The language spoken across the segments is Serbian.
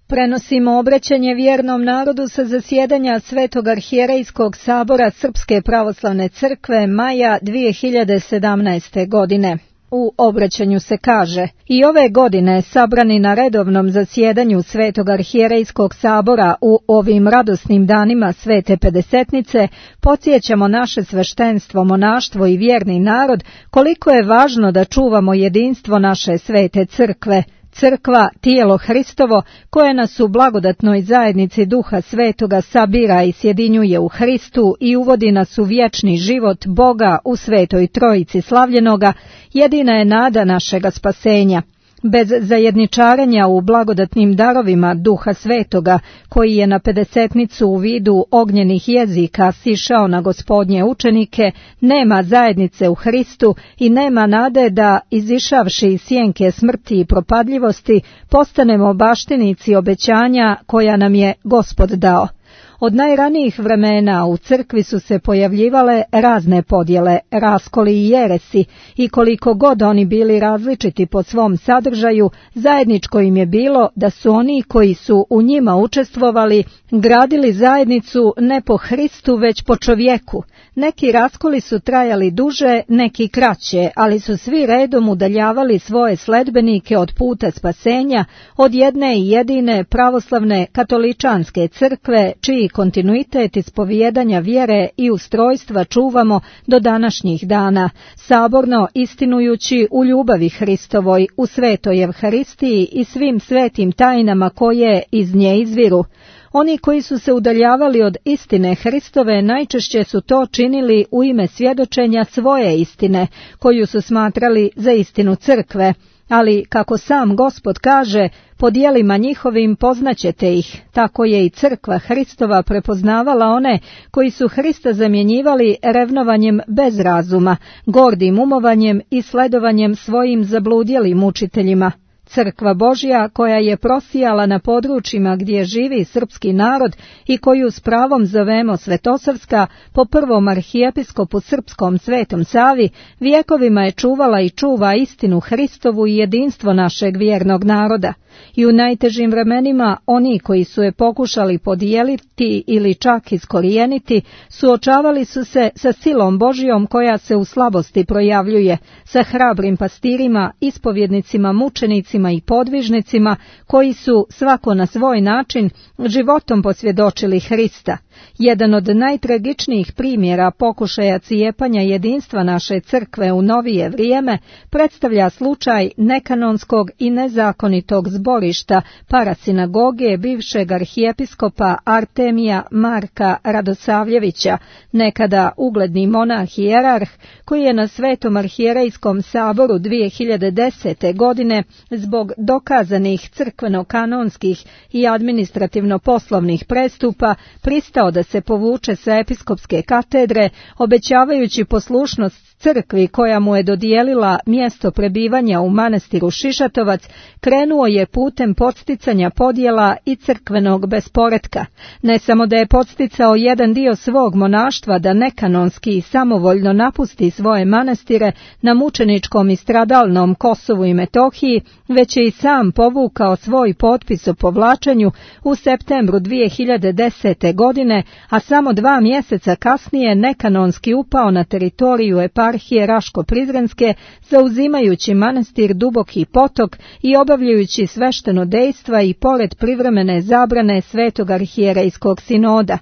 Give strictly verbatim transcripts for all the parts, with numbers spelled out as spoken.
Prenosimo obraćanje vjernom narodu sa zasjedanja Svetog arhijerejskog sabora Srpske pravoslavne crkve maja dvije hiljade sedamnaeste. godine. U obraćanju se kaže: i ove godine sabrani na redovnom zasjedanju Svetog arhijerejskog sabora u ovim radosnim danima Svete Pedesetnice podsjećamo naše sveštenstvo, monaštvo i vjerni narod koliko je važno da čuvamo jedinstvo naše svete crkve. Crkva, tijelo Hristovo, koje nas u blagodatnoj zajednici Duha Svetoga sabira i sjedinjuje u Hristu i uvodi nas u vječni život Boga u Svetoj Trojici slavljenoga, jedina je nada našega spasenja. Bez zajedničarenja u blagodatnim darovima Duha Svetoga, koji je na Pedesetnicu u vidu ognjenih jezika sišao na Gospodnje učenike, nema zajednice u Hristu i nema nade da, izišavši iz sjenke smrti i propadljivosti, postanemo baštinici obećanja koja nam je Gospod dao. Od najranijih vremena u crkvi su se pojavljivale razne podjele, raskoli i jeresi, i koliko god oni bili različiti po svom sadržaju, zajedničko im je bilo da su oni koji su u njima učestvovali gradili zajednicu ne po Hristu već po čovjeku. Neki raskoli su trajali duže, neki kraće, ali su svi redom udaljavali svoje sledbenike od puta spasenja, od jedne i jedine pravoslavne katoličanske crkve, čiji kontinuitet ispovijedanja vjere i ustrojstva čuvamo do današnjih dana, saborno istinujući u ljubavi Hristovoj, u svetoj Evharistiji i svim svetim tajnama koje iz nje izviru. Oni koji su se udaljavali od istine Hristove najčešće su to činili u ime svjedočenja svoje istine, koju su smatrali za istinu crkve. Ali, kako sam Gospod kaže, po djelima njihovim poznaćete ih, tako je i crkva Hristova prepoznavala one koji su Hrista zamjenjivali revnovanjem bez razuma, gordim umovanjem i sledovanjem svojim zabludjelim učiteljima. Crkva Božja, koja je prosijala na područjima gdje živi srpski narod i koju s pravom zovemo Svetosavska, po prvom arhijepiskopu srpskom Svetom Savi, vjekovima je čuvala i čuva istinu Hristovu i jedinstvo našeg vjernog naroda. I u najtežim vremenima oni koji su je pokušali podijeliti ili čak iskorijeniti, suočavali su se sa silom Božjom koja se u slabosti projavljuje, sa hrabrim pastirima, ispovjednicima, mučenicima i podvižnicima koji su svako na svoj način životom posvjedočili Hrista. Jedan od najtragičnijih primjera pokušaja cijepanja jedinstva naše crkve u novije vrijeme predstavlja slučaj nekanonskog i nezakonitog zborišta parasinagoge bivšeg arhijepiskopa Artemija Marka Radosavljevića, nekada ugledni monah i jerarh, koji je na Svetom arhijerejskom saboru dvije hiljade desete. godine zbog dokazanih crkveno-kanonskih i administrativno-poslovnih prestupa pristao da se povuče sa episkopske katedre, obećavajući poslušnost crkvi koja mu je dodijelila mjesto prebivanja u manastiru Šišatovac, krenuo je putem podsticanja podjela i crkvenog besporetka. Ne samo da je podsticao jedan dio svog monaštva da nekanonski i samovoljno napusti svoje manastire na mučeničkom i stradalnom Kosovu i Metohiji, već je i sam povukao svoj potpis o povlačenju u septembru dvije hiljade desete. godine, a samo dva mjeseca kasnije nekanonski upao na teritoriju eparhije Raško-Prizrenske, zauzimajući manastir Duboki Potok i obavljajući svešteno dejstva i pored privremene zabrane Svetog arhijerejskog sinoda.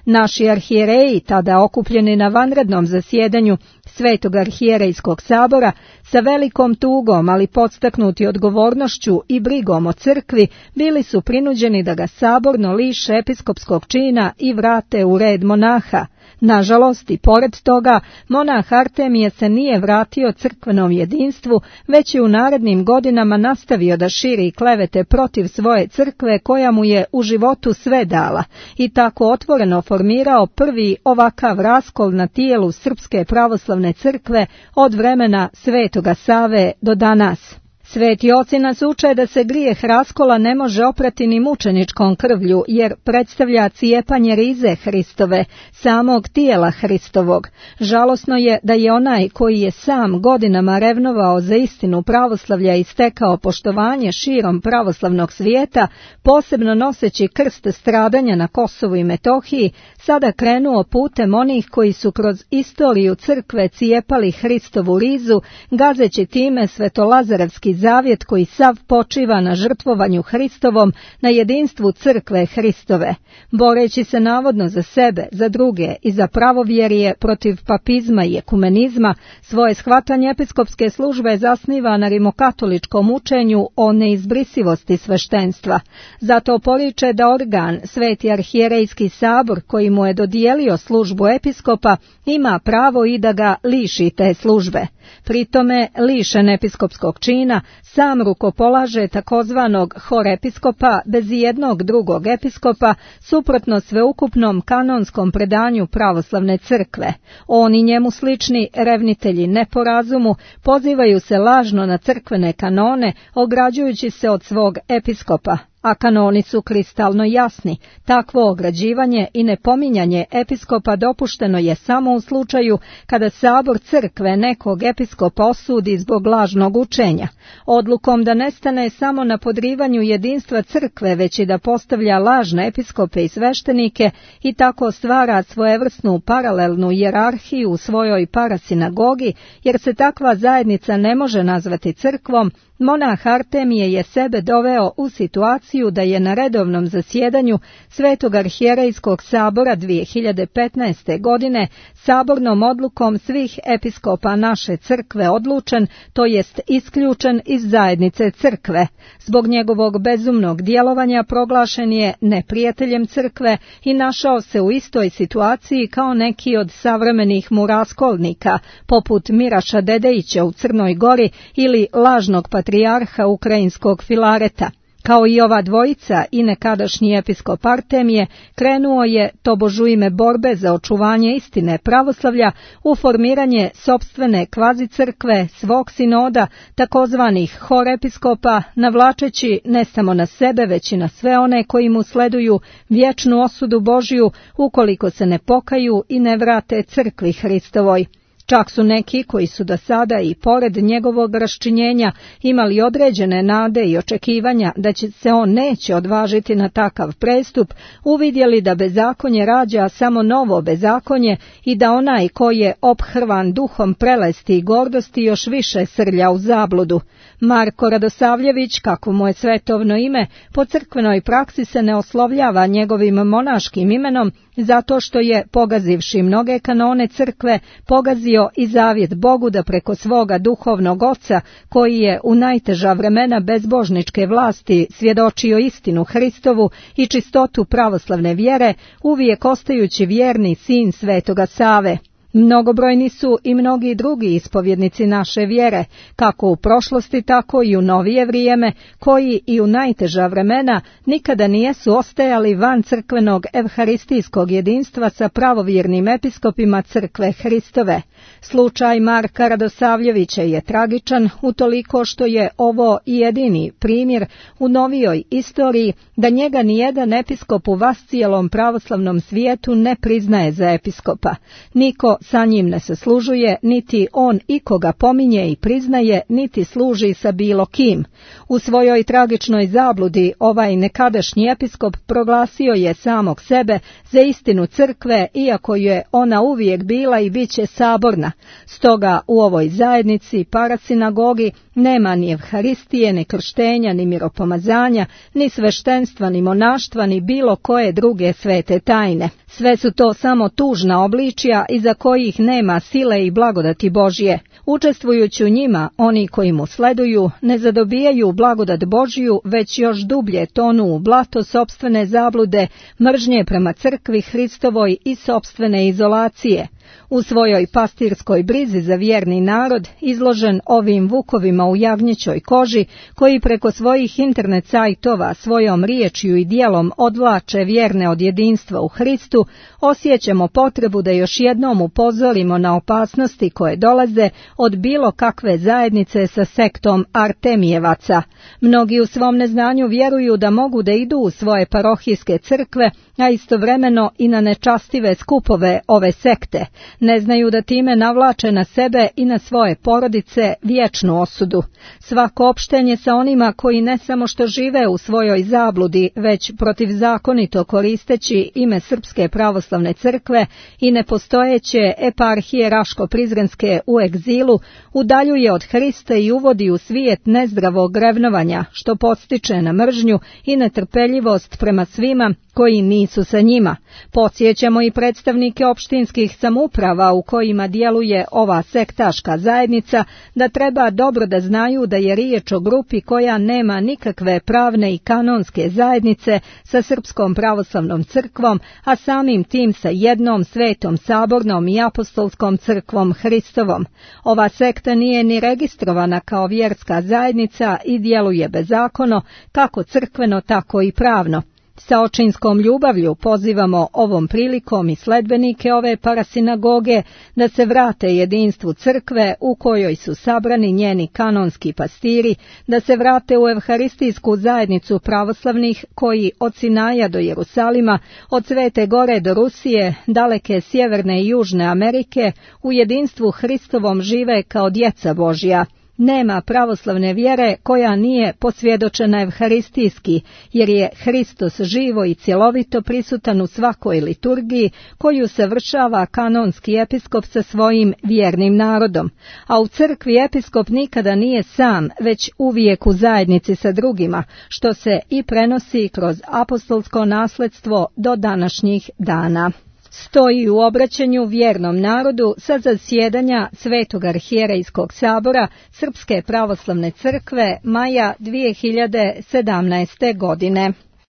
Naši arhijereji, tada okupljeni na vanrednom zasjedanju Svetog arhijerejskog sabora, sa velikom tugom, ali podstaknuti odgovornošću i brigom o crkvi, bili su prinuđeni da ga saborno liše episkopskog čina i vrate u red monaha. Nažalost, i pored toga, monah Artemije se nije vratio crkvenom jedinstvu, već je u narednim godinama nastavio da širi klevete protiv svoje crkve koja mu je u životu sve dala i tako otvoreno formirao prvi ovakav raskol na tijelu Srpske pravoslavne crkve od vremena Svetoga Save do danas. Sveti oci nas uče da se grijeh raskola ne može oprati ni mučeničkom krvlju, jer predstavlja cijepanje rize Hristove, samog tijela Hristovog. Žalosno je da je onaj koji je sam godinama revnovao za istinu pravoslavlja i stekao poštovanje širom pravoslavnog svijeta, posebno noseći krst stradanja na Kosovu i Metohiji, sada krenuo putem onih koji su kroz istoriju crkve cijepali Hristovu rizu, gazeći time svetolazarevski zavjet koji sav počiva na žrtvovanju Hristovom, na jedinstvu crkve Hristove. Boreći se navodno za sebe, za druge i za pravovjerje protiv papizma i ekumenizma, svoje shvatanje episkopske službe zasniva na rimokatoličkom učenju o neizbrisivosti sveštenstva. Zato poriče da organ, Sveti arhijerejski sabor, koji mu je dodijelio službu episkopa, ima pravo i da ga liši te službe. Pritome, lišen episkopskog čina, sam rukopolaže takozvanog horepiskopa bez jednog drugog episkopa, suprotno sveukupnom kanonskom predanju pravoslavne crkve. Oni njemu slični revnitelji neporazumu pozivaju se lažno na crkvene kanone, ograđujući se od svog episkopa. A kanoni su kristalno jasni. Takvo ograđivanje i nepominjanje episkopa dopušteno je samo u slučaju kada sabor crkve nekog episkopa osudi zbog lažnog učenja. Odlukom da ne stane samo na podrivanju jedinstva crkve, već i da postavlja lažne episkope i sveštenike i tako stvara svojevrsnu paralelnu hijerarhiju u svojoj parasinagogi, jer se takva zajednica ne može nazvati crkvom, monah Artemije je sebe doveo u situaciju da je na redovnom zasjedanju Svetog arhijerejskog sabora dvije hiljade petnaeste. godine sabornom odlukom svih episkopa naše crkve odlučen, to jest isključen iz zajednice crkve. Zbog njegovog bezumnog djelovanja proglašen je neprijateljem crkve i našao se u istoj situaciji kao neki od savremenih mu raskolnika, poput Miraša Dedejića u Crnoj Gori ili lažnog patrijarha ukrajinskog Filareta. Kao i ova dvojica i nekadašnji episkop Artemije, krenuo je, tobož u ime borbe za očuvanje istine pravoslavlja, u formiranje sopstvene kvazicrkve, svog sinoda, takozvanih horepiskopa, navlačeći ne samo na sebe, već i na sve one koji mu sleduju vječnu osudu Božiju, ukoliko se ne pokaju i ne vrate crkvi Hristovoj. Čak su neki koji su do sada i pored njegovog raščinjenja imali određene nade i očekivanja da će se on neće odvažiti na takav prestup, uvidjeli da bezakonje rađa samo novo bezakonje i da onaj koji je ophrvan duhom prelesti i gordosti još više srlja u zabludu. Marko Radosavljević, kako mu je svetovno ime, po crkvenoj praksi se ne oslovljava njegovim monaškim imenom, zato što je, pogazivši mnoge kanone crkve, pogazio i zavjet Bogu da preko svoga duhovnog oca, koji je u najteža vremena bezbožničke vlasti svjedočio istinu Hristovu i čistotu pravoslavne vjere, uvijek ostajući vjerni sin Svetoga Save. Mnogobrojni su i mnogi drugi ispovjednici naše vjere, kako u prošlosti, tako i u novije vrijeme, koji i u najteža vremena nikada nijesu ostajali van crkvenog evharistijskog jedinstva sa pravovjernim episkopima crkve Hristove. Slučaj Marka Radosavljevića je tragičan utoliko što je ovo jedini primjer u novijoj istoriji da njega nijedan episkop u vascijelom pravoslavnom svijetu ne priznaje za episkopa. Niko sa njim ne saslužuje, niti on ikoga pominje i priznaje, niti služi sa bilo kim. U svojoj tragičnoj zabludi ovaj nekadašnji episkop proglasio je samog sebe za istinu crkve, iako je ona uvijek bila i bit će saborna. Stoga u ovoj zajednici parasinagogi nema ni evharistije, ni krštenja, ni miropomazanja, ni sveštenstva, ni monaštva, ni bilo koje druge svete tajne. Sve su to samo tužna obličja iza kojih nema sile i blagodati Božje. Učestvujući u njima, oni koji mu sleduju ne zadobijaju blagodat Božju, već još dublje tonu u blato sopstvene zablude, mržnje prema crkvi Hristovoj i sopstvene izolacije. U svojoj pastirskoj brizi za vjerni narod, izložen ovim vukovima u jagnjećoj koži, koji preko svojih internet sajtova svojom riječju i djelom odvlače vjerne od jedinstva u Hristu, osjećamo potrebu da još jednom upozorimo na opasnosti koje dolaze od bilo kakve zajednice sa sektom Artemijevaca. Mnogi u svom neznanju vjeruju da mogu da idu u svoje parohijske crkve, a istovremeno i na nečastive skupove ove sekte. Ne znaju da time navlače na sebe i na svoje porodice vječnu osudu. Svako opštenje sa onima koji ne samo što žive u svojoj zabludi, već protivzakonito koristeći ime Srpske pravoslavne crkve i nepostojeće eparhije Raško-Prizrenske u egzilu, udaljuje od Hrista i uvodi u svijet nezdravog revnovanja, što podstiče na mržnju i netrpeljivost prema svima koji nisu sa njima. Podsjećamo i predstavnike opštinskih samouprava u kojima djeluje ova sektaška zajednica da treba dobro da znaju da je riječ o grupi koja nema nikakve pravne i kanonske zajednice sa Srpskom pravoslavnom crkvom, a samim tim sa jednom svetom sabornom i apostolskom crkvom Hristovom. Ova sekta nije ni registrovana kao vjerska zajednica i djeluje bezakono, kako crkveno, tako i pravno. Sa očinskom ljubavlju pozivamo ovom prilikom i sledbenike ove parasinagoge da se vrate jedinstvu crkve u kojoj su sabrani njeni kanonski pastiri, da se vrate u evharistijsku zajednicu pravoslavnih koji od Sinaja do Jerusalima, od Svete Gore do Rusije, daleke Sjeverne i Južne Amerike, u jedinstvu Hristovom žive kao djeca Božja. Nema pravoslavne vjere koja nije posvjedočena evharistijski, jer je Hristos živo i cjelovito prisutan u svakoj liturgiji koju savršava kanonski episkop sa svojim vjernim narodom. A u crkvi episkop nikada nije sam, već uvijek u zajednici sa drugima, što se i prenosi kroz apostolsko nasledstvo do današnjih dana. Stoji u obraćanju vjernom narodu sa zasjedanja Svetog arhijerejskog sabora Srpske pravoslavne crkve maja dvije hiljade sedamnaeste godine.